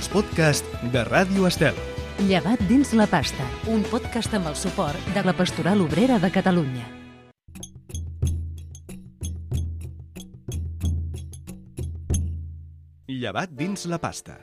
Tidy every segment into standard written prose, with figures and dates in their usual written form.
els podcasts de Ràdio Estel. Llevat dins la pasta, un podcast amb el suport de la Pastoral Obrera de Catalunya. Llevat dins la pasta.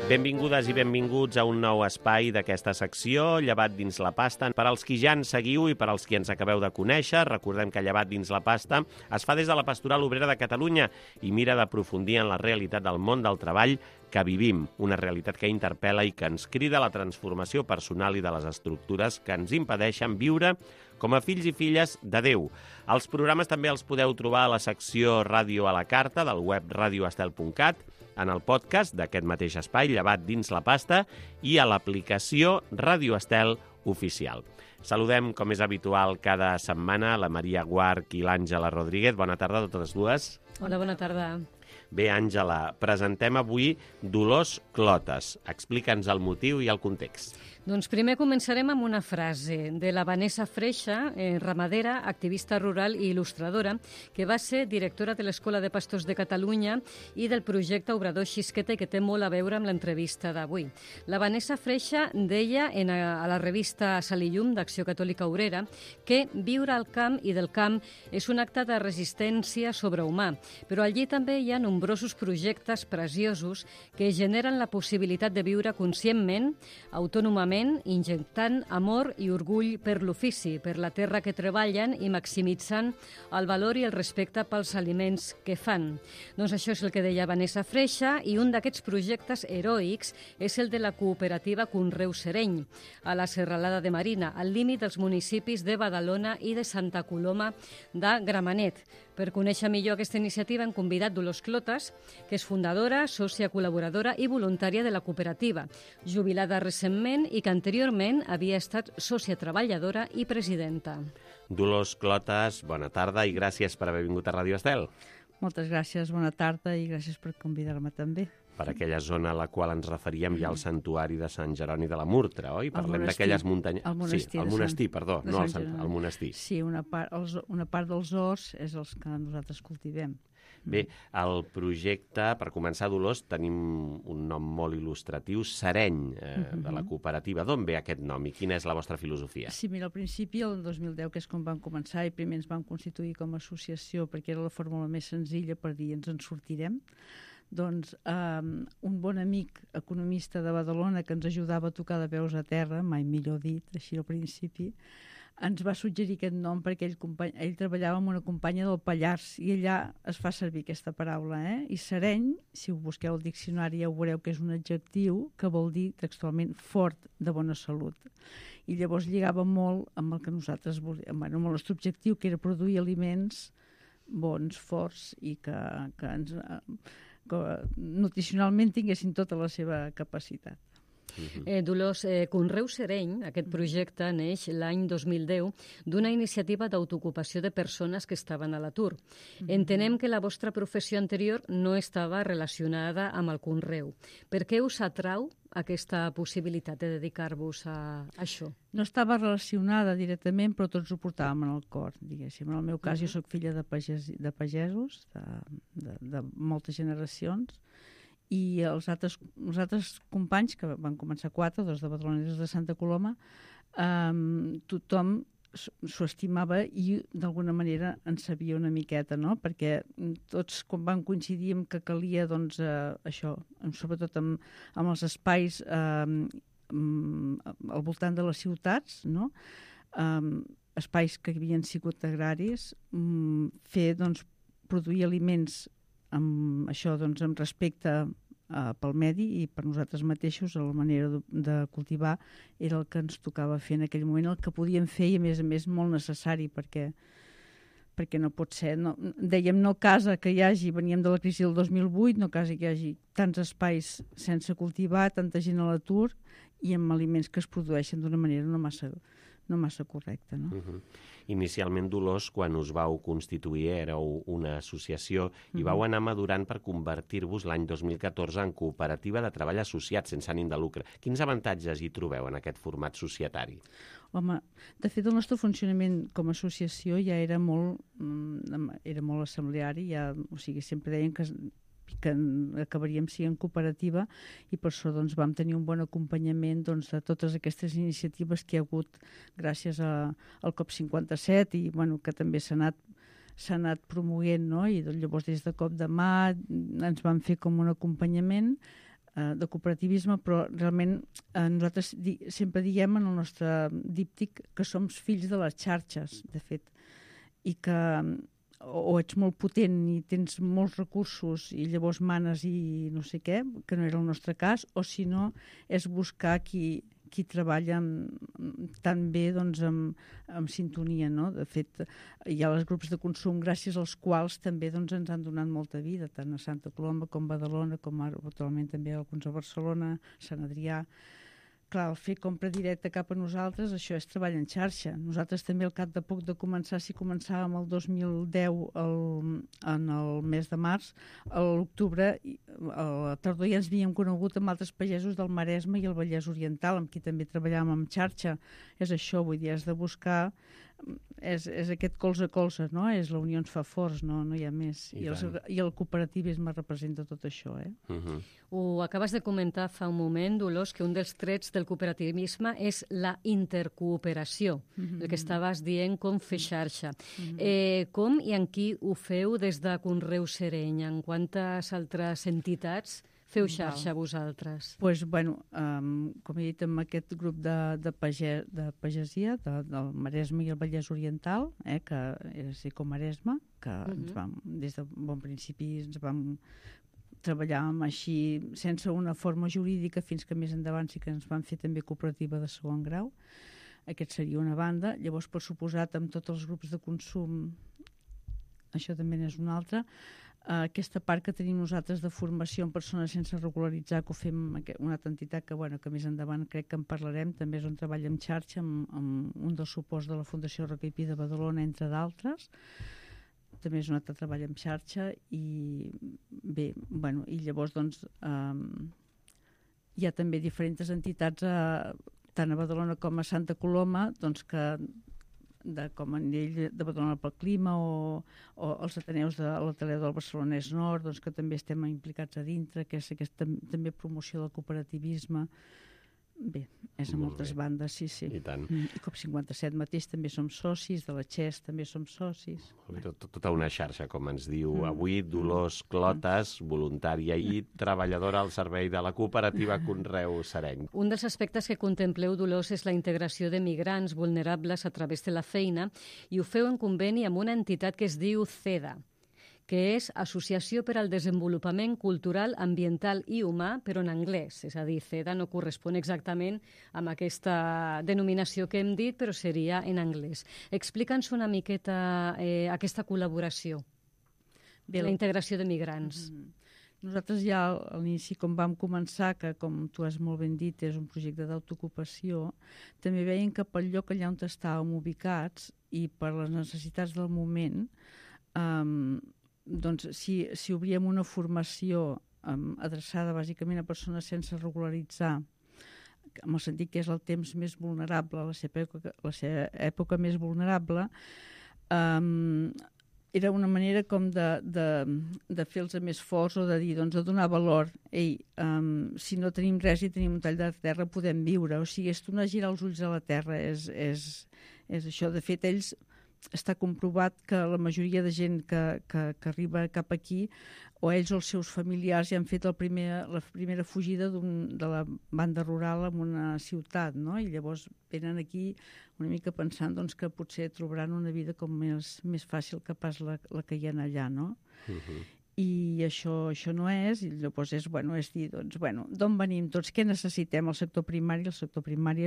Benvingudes i benvinguts a un nou espai d'aquesta secció, Llevat dins la pasta. Per als qui ja ens seguiu i per als qui ens acabeu de conèixer, recordem que Llevat dins la pasta es fa des de la Pastoral Obrera de Catalunya i mira d'aprofundir en la realitat del món del treball que vivim, una realitat que interpel·la i que ens crida a la transformació personal i de les estructures que ens impedeixen viure com a fills i filles de Déu. Els programes també els podeu trobar a la secció Ràdio a la Carta del web radioestel.cat, en el podcast d'aquest mateix espai, Llevat dins la pasta, i a l'aplicació Ràdio Estel Oficial. Saludem, com és habitual cada setmana, la Maria Guarch i l'Àngela Rodríguez. Bona tarda a totes dues. Hola, bona tarda. Bé, Àngela, presentem avui Dolors Clotes. Explica'ns el motiu i el context. Doncs primer començarem amb una frase de la Vanessa Freixa, ramadera, activista rural i il·lustradora, que va ser directora de l'Escola de Pastors de Catalunya i del projecte Obrador Xisqueta i que té molt a veure amb l'entrevista d'avui. La Vanessa Freixa deia a la revista Sal i Llum d'Acció Catòlica Obrera que viure al camp i del camp és un acte de resistència sobrehumà, però allí també hi ha nombrosos projectes preciosos que generen la possibilitat de viure conscientment, autònomament, injectant amor i orgull per l'ofici, per la terra que treballen i maximitzant el valor i el respecte pels aliments que fan. Doncs això és el que deia Vanessa Freixa, i un d'aquests projectes heroics és el de la cooperativa Conreu Sereny, a la Serralada de Marina, al límit dels municipis de Badalona i de Santa Coloma de Gramenet. Per conèixer millor aquesta iniciativa hem convidat Dolors Clotes, que és fundadora, sòcia col·laboradora i voluntària de la cooperativa, jubilada recentment i que anteriorment havia estat sòcia treballadora i presidenta. Dolors Clotes, bona tarda i gràcies per haver vingut a Ràdio Estel. Moltes gràcies, bona tarda i gràcies per convidar-me també. Per aquella zona a la qual ens referíem hi ha el santuari de Sant Jeroni de la Murtra, oi? Parlem d'aquelles muntanyes... El monestir, sí, el monestir, perdó, no el monestir. Sí, una part dels horts és els que nosaltres cultivem. Bé, el projecte, per començar, Dolors, tenim un nom molt il·lustratiu, Sereny, de la cooperativa. D'on ve aquest nom i quina és la vostra filosofia? Sí, mira, al principi, el 2010, que és quan vam començar, i primer ens vam constituir com a associació perquè era la fórmula més senzilla per dir ens en sortirem. Doncs un bon amic economista de Badalona que ens ajudava a tocar de peus a terra, mai millor dit, així al principi, ens va suggerir aquest nom perquè ell treballava amb una companya del Pallars i allà es fa servir aquesta paraula. I sereny, si ho busqueu al diccionari ja ho veureu que és un adjectiu que vol dir textualment fort, de bona salut. I llavors lligava molt amb el que nosaltres volíem, amb el nostre objectiu, que era produir aliments bons, forts i que nutricionalment tinguessin tota la seva capacitat. Dolors, Conreu Sereny, aquest projecte neix l'any 2010 d'una iniciativa d'autoocupació de persones que estaven a l'atur. Entenem que la vostra professió anterior no estava relacionada amb el conreu. Per què us atrau aquesta possibilitat de dedicar-vos a això? No estava relacionada directament, però tots ho portàvem en el cor, diguéssim. En el meu cas, jo soc filla de pagesos, de moltes generacions, i els altres companys, que van començar 4, 2 de Badalona i 2 de Santa Coloma, tothom s'ho estimava i d'alguna manera en sabia una miqueta, no? Perquè tots quan vam coincidir que calia, doncs, això, sobretot amb els espais al voltant de les ciutats, no? Espais que havien sigut agraris, fer, doncs, produir aliments amb això, doncs, amb respecte pel medi i per nosaltres mateixos, la manera de cultivar era el que ens tocava fer en aquell moment, el que podíem fer i a més molt necessari perquè no pot ser, dèiem, no casa que hi hagi, veníem de la crisi del 2008, no casa que hi hagi tants espais sense cultivar, tanta gent a l'atur i amb aliments que es produeixen d'una manera no no massa correcte, no? Inicialment, Dolors, quan us vau constituir, éreu una associació i vau anar madurant per convertir-vos l'any 2014 en cooperativa de treball associat sense ànim de lucre. Quins avantatges hi trobeu en aquest format societari? Home, de fet, el nostre funcionament com a associació ja era molt assembleari, o sigui, sempre deien que acabaríem sent cooperativa i per això doncs, vam tenir un bon acompanyament doncs, de totes aquestes iniciatives que hi ha hagut gràcies al COP57 i que també s'ha anat promoguent, no? I doncs, llavors des de Cop de Mà ens van fer com un acompanyament de cooperativisme, però realment nosaltres sempre diem en el nostre díptic que som fills de les xarxes, de fet, i que o ets molt potent i tens molts recursos i llavors manes i no sé què, que no era el nostre cas, o si no és buscar qui treballa tan bé doncs, amb sintonia, no? De fet, hi ha els grups de consum gràcies als quals també doncs, ens han donat molta vida, tant a Santa Coloma com a Badalona, com ara actualment també alguns a Barcelona, Sant Adrià. Clar, el fer compra directa cap a nosaltres, això és treball en xarxa. Nosaltres també al cap de poc de començar, si començàvem el 2010 en el mes de març, a l'octubre, a la tardor ja ens havíem conegut amb altres pagesos del Maresme i el Vallès Oriental, amb qui també treballàvem en xarxa. És això, vull dir, és de buscar, és aquest colze a colze, no? És la unió ens fa forts, no hi ha més. I el cooperativisme representa tot això, Ho acabes de comentar fa un moment, Dolors, que un dels trets del cooperativisme és la intercooperació, el que estaves dient com fer xarxa. Com i en qui ho feu des de Conreu Sereny? En quantes altres entitats feu xarxa vosaltres? Doncs, com he dit, amb aquest grup de pagesia del Maresme i el Vallès Oriental, que era Secomaresme, que des de bon principi ens vam treballar així sense una forma jurídica fins que més endavant sí que ens van fer també cooperativa de segon grau. Aquest seria una banda. Llavors, per suposat, amb tots els grups de consum, això també n'és una altra. Aquesta part que tenim nosaltres de formació en persones sense regularitzar, que ho fem una altra entitat que més endavant crec que en parlarem, també és on treballa en xarxa amb un dels suports de la Fundació Roca i Pi de Badalona, entre d'altres. També és un altre treball en xarxa i bé, i llavors doncs hi ha també diferents entitats tant a Badalona com a Santa Coloma doncs que com a nivell de Badalona pel Clima o els Ateneus de l'Ateneu del Barcelonès Nord, doncs, que també estem implicats a dintre, que és aquesta també promoció del cooperativisme. Bé, és a moltes bandes, sí. I tant. I COP57 mateix també som socis, de la XES també som socis. Tota una xarxa, com ens diu avui Dolors Clotas, voluntària i treballadora al servei de la cooperativa Conreu Sereny. Un dels aspectes que contempleu, Dolors, és la integració de migrants vulnerables a través de la feina i ho feu en conveni amb una entitat que es diu CEDA, que és Associació per al Desenvolupament Cultural, Ambiental i Humà, però en anglès. És a dir, CEDA no correspon exactament amb aquesta denominació que hem dit, però seria en anglès. Explica'ns una miqueta aquesta col·laboració, la integració de migrants. Nosaltres ja a l'inici, com vam començar, que com tu has molt ben dit, és un projecte d'autoocupació, també veiem que pel lloc allà on estàvem ubicats i per les necessitats del moment, doncs si obríem una formació adreçada bàsicament a persones sense regularitzar, en el sentit que és el temps més vulnerable, la seva època més vulnerable, era una manera com de fer-los més forts o de dir, doncs, de donar valor. Ei, si no tenim res i tenim un tall de terra, podem viure. O sigui, és tornar a girar els ulls a la terra. És això. De fet, ells està comprovat que la majoria de gent que arriba cap aquí, o ells o els seus familiars ja han fet la primera fugida de la banda rural a una ciutat, no? I llavors venen aquí una mica pensant doncs, que potser trobaran una vida com més fàcil que pas la que hi ha allà, no? I això no és, i llavors és dir, doncs, d'on venim tots, què necessitem? El sector primari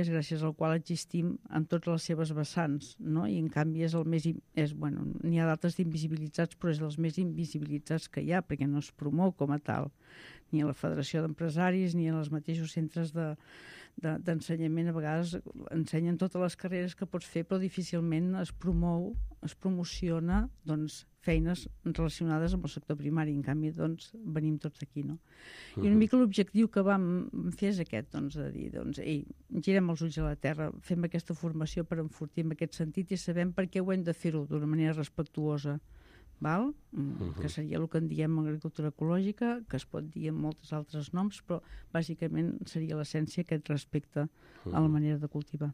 és gràcies al qual existim en totes les seves vessants, no? I en canvi és el més, n'hi ha d'altres d'invisibilitzats, però és dels més invisibilitzats que hi ha, perquè no es promou com a tal, ni a la Federació d'Empresaris, ni als mateixos centres d'ensenyament. A vegades ensenyen totes les carreres que pots fer, però difícilment es promociona doncs, feines relacionades amb el sector primari. En canvi, doncs, venim tots aquí, no? I una mica l'objectiu que vam fer és aquest, doncs, de dir, doncs, ei, girem els ulls a la terra, fem aquesta formació per enfortir en aquest sentit i sabem per què ho hem de fer-ho d'una manera respectuosa, val? Que seria el que en diem agricultura ecològica, que es pot dir amb molts altres noms, però bàsicament seria l'essència aquest respecte a la manera de cultivar.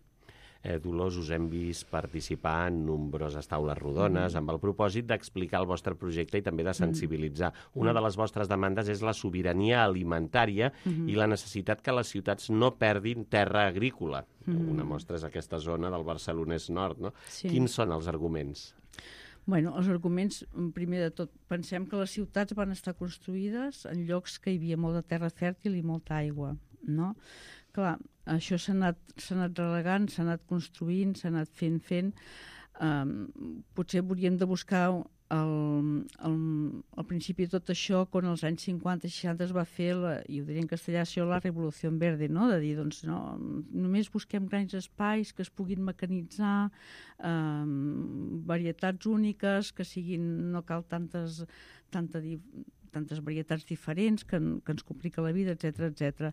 Dolors, us hem vist participar en nombroses taules rodones amb el propòsit d'explicar el vostre projecte i també de sensibilitzar. Una de les vostres demandes és la sobirania alimentària i la necessitat que les ciutats no perdin terra agrícola. Una mostra és aquesta zona del Barcelonès Nord, no? Sí. Quins són els arguments? Bueno, els arguments, primer de tot, pensem que les ciutats van estar construïdes en llocs que hi havia molta terra fèrtil i molta aigua, no? Clar, això s'ha anat relegant, s'ha anat construint, s'ha anat fent. Potser hauríem de buscar al principi de tot això, quan als anys 50 i 60 es va fer, i ho diré en castellà, això, la Revolució Verde, no? De dir, doncs, no, només busquem grans espais que es puguin mecanitzar, varietats úniques, que siguin, no cal tantes varietats diferents, que ens complica la vida, etc.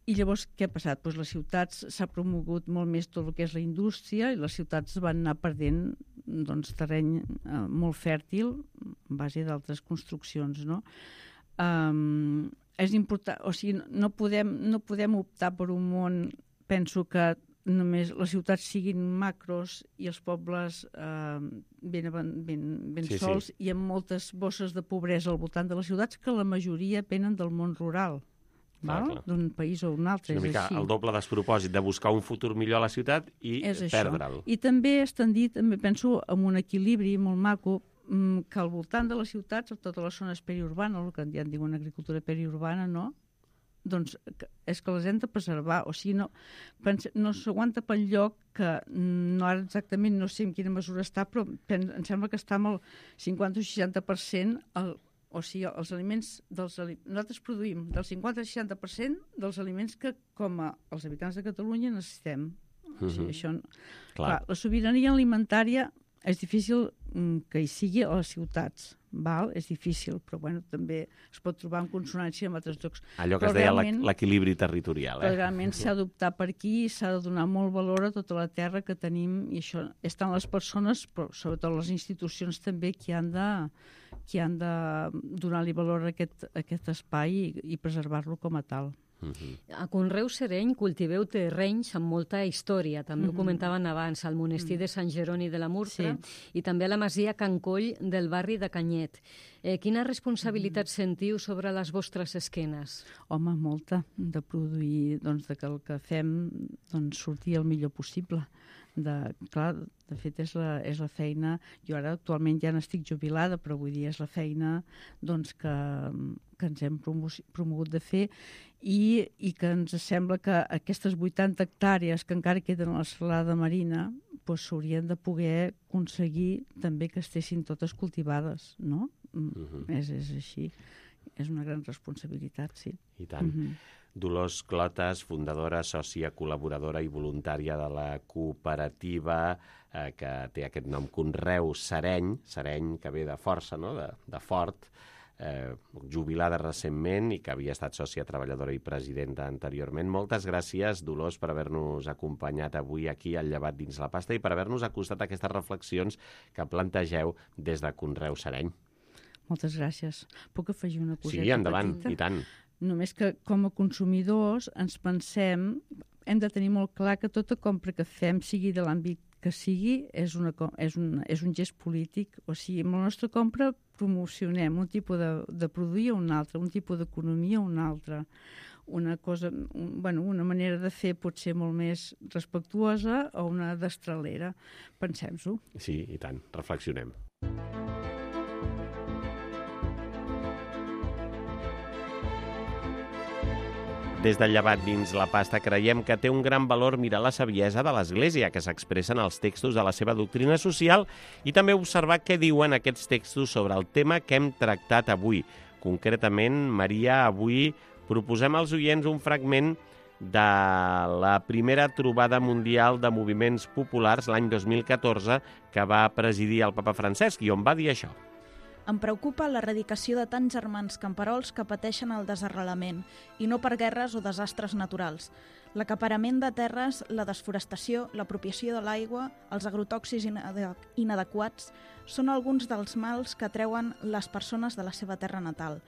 I llavors què ha passat? Doncs les ciutats s'ha promogut molt més tot el que és la indústria i les ciutats van anar perdent doncs, terreny molt fèrtil en base d'altres construccions, no? És important, o sigui, no podem optar per un món, penso que només les ciutats siguin macros i els pobles ben sols i amb moltes bosses de pobresa al voltant de les ciutats que la majoria venen del món rural. D'un país o un altre. És una mica el doble despropòsit de buscar un futur millor a la ciutat i perdre'l. I també estan dit, també penso, amb un equilibri molt maco, que al voltant de les ciutats, a totes les zones periurbanes, el que ja en diuen agricultura periurbana, no? Doncs és que les hem de preservar. O sigui, no s'aguanta pel lloc que ara exactament no sé en quina mesura està, però em sembla que està amb el 50 o 60% o sigui, els aliments nosaltres produïm del 50 al 60% dels aliments que, com els habitants de Catalunya, necessitem. O sigui, això, clar, la sobirania alimentària és difícil que hi sigui a les ciutats, val? És difícil, però bueno, també es pot trobar en consonància amb altres llocs. Allò que es deia l'equilibri territorial. Però realment s'ha d'optar per aquí, s'ha de donar molt valor a tota la terra que tenim, i això estan les persones, però sobretot les institucions també, que han de donar-li valor a aquest espai i preservar-lo com a tal. A Conreu Sereny cultiveu terrenys amb molta història. També ho comentaven abans, al monestir de Sant Jeroni de la Murtra i també a la masia Can Coll del barri de Canyet. Quina responsabilitat sentiu sobre les vostres esquenes? Home, molta, de produir, doncs, que el que fem surti el millor possible. Clar, de fet és la feina, jo ara actualment ja n'estic jubilada, però vull dir, és la feina doncs, que ens hem promogut de fer i que ens sembla que aquestes 80 hectàrees que encara queden a la serralada marina s'haurien de poder aconseguir també que estessin totes cultivades, no? És així, és una gran responsabilitat, sí. I tant. Dolors Clotas, fundadora, sòcia, col·laboradora i voluntària de la cooperativa que té aquest nom Conreu Sereny, que ve de força, no? De fort, jubilada recentment i que havia estat sòcia treballadora i presidenta anteriorment. Moltes gràcies, Dolors, per haver-nos acompanyat avui aquí al Llevat dins la pasta i per haver-nos acostat a aquestes reflexions que plantegeu des de Conreu Sereny. Moltes gràcies. Puc afegir una coseta petita? Sí, endavant, i tant. Només que com a consumidors ens pensem, hem de tenir molt clar que tota compra que fem, sigui de l'àmbit que sigui, és un gest polític. O sigui, amb la nostra compra promocionem un tipus de produir a un altre, un tipus d'economia a un altre. Una manera de fer pot ser molt més respectuosa o una destralera. Pensem-s'ho. Sí, i tant. Reflexionem. Des del Llevat dins la pasta creiem que té un gran valor mirar la saviesa de l'Església que s'expressa en els textos de la seva doctrina social i també observar què diuen aquests textos sobre el tema que hem tractat avui. Concretament, Maria, avui proposem als oients un fragment de la primera trobada mundial de moviments populars l'any 2014 que va presidir el papa Francesc i on va dir això. Em preocupa l'erradicació de tants germans camperols que pateixen el desarrelament, i no per guerres o desastres naturals. L'acaparament de terres, la desforestació, l'apropiació de l'aigua, els agrotòxics inadequats són alguns dels mals que treuen les persones de la seva terra natal.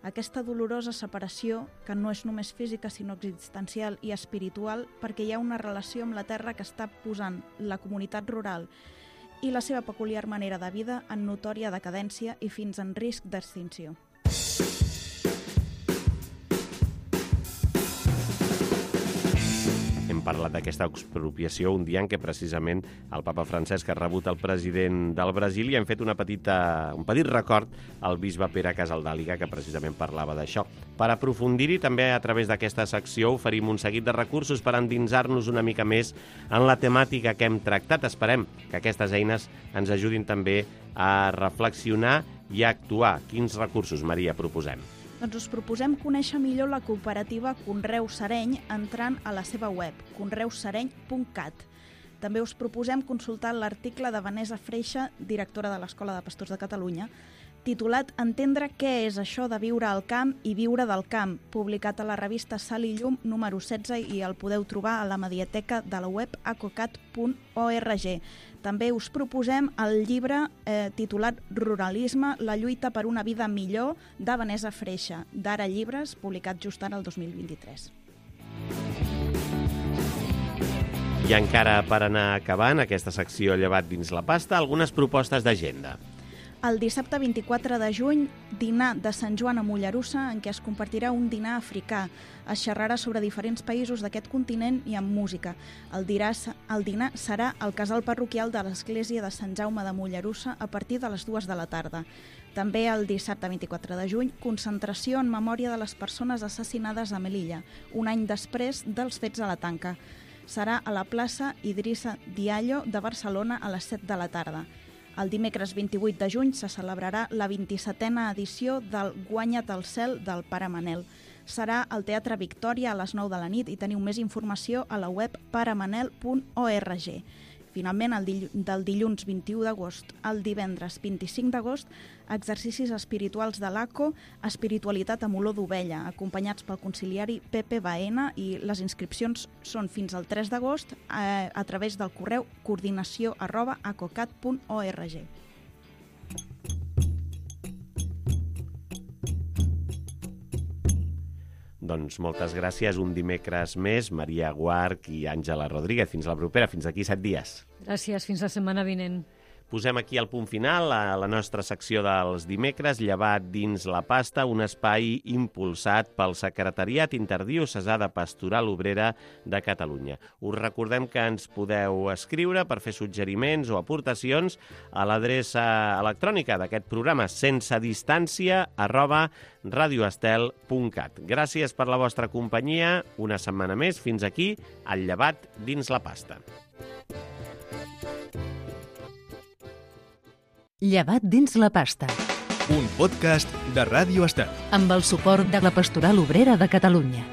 Aquesta dolorosa separació, que no és només física sinó existencial i espiritual, perquè hi ha una relació amb la terra que està posant la comunitat rural i la seva peculiar manera de vida en notòria decadència i fins en risc d'extinció. Hem parlat d'aquesta expropiació un dia en què precisament el papa Francesc ha rebut el president del Brasil i hem fet un petit record al bisbe Pere Casaldàliga, que precisament parlava d'això. Per aprofundir-hi, també a través d'aquesta secció oferim un seguit de recursos per endinsar-nos una mica més en la temàtica que hem tractat. Esperem que aquestes eines ens ajudin també a reflexionar i a actuar. Quins recursos, Maria, proposem? Doncs us proposem conèixer millor la cooperativa Conreu Sereny entrant a la seva web, conreusereny.cat. També us proposem consultar l'article de Vanessa Freixa, directora de l'Escola de Pastors de Catalunya, titulat Entendre què és això de viure al camp i viure del camp, publicat a la revista Sal i Llum número 16 i el podeu trobar a la mediateca de la web acocat.org. També us proposem el llibre titulat Ruralisme, la lluita per una vida millor, de Vanessa Freixa, d'Ara Llibres, publicat just ara el 2023. I encara per anar acabant aquesta secció llevat dins la pasta, algunes propostes d'agenda. El dissabte 24 de juny, dinar de Sant Joan a Mollerussa, en què es compartirà un dinar africà. Es xerrarà sobre diferents països d'aquest continent i amb música. El dinar serà al casal parroquial de l'Església de Sant Jaume de Mollerussa a partir de les 2 de la tarda. També el dissabte 24 de juny, concentració en memòria de les persones assassinades a Melilla, un any després dels fets a la Tanca. Serà a la plaça Idrissa Diallo de Barcelona a les 7 de la tarda. El dimecres 28 de juny se celebrarà la 27a edició del Guanya't el cel del Pare Manel. Serà al Teatre Victòria a les 9 de la nit i teniu més informació a la web paremanel.org. Finalment, del dilluns 21 d'agost al divendres 25 d'agost, exercicis espirituals de l'ACO, espiritualitat amb olor d'ovella, acompanyats pel conciliari Pepe Baena, i les inscripcions són fins al 3 d'agost a través del correu coordinació@acocat.org. Doncs moltes gràcies. Un dimecres més, Maria Guarch i Àngela Rodríguez. Fins la propera, fins aquí 7 dies. Gràcies, fins la setmana vinent. Posem aquí el punt final a la nostra secció dels dimecres, llevat dins la pasta, un espai impulsat pel Secretariat Interdiocesà de Pastoral Obrera de Catalunya. Us recordem que ens podeu escriure per fer suggeriments o aportacions a l'adreça electrònica d'aquest programa sensedistància@radioestel.cat. Gràcies per la vostra companyia. Una setmana més. Fins aquí, el llevat dins la pasta. Llevat dins la pasta. Un podcast de Ràdio Estel. Amb el suport de la Pastoral Obrera de Catalunya.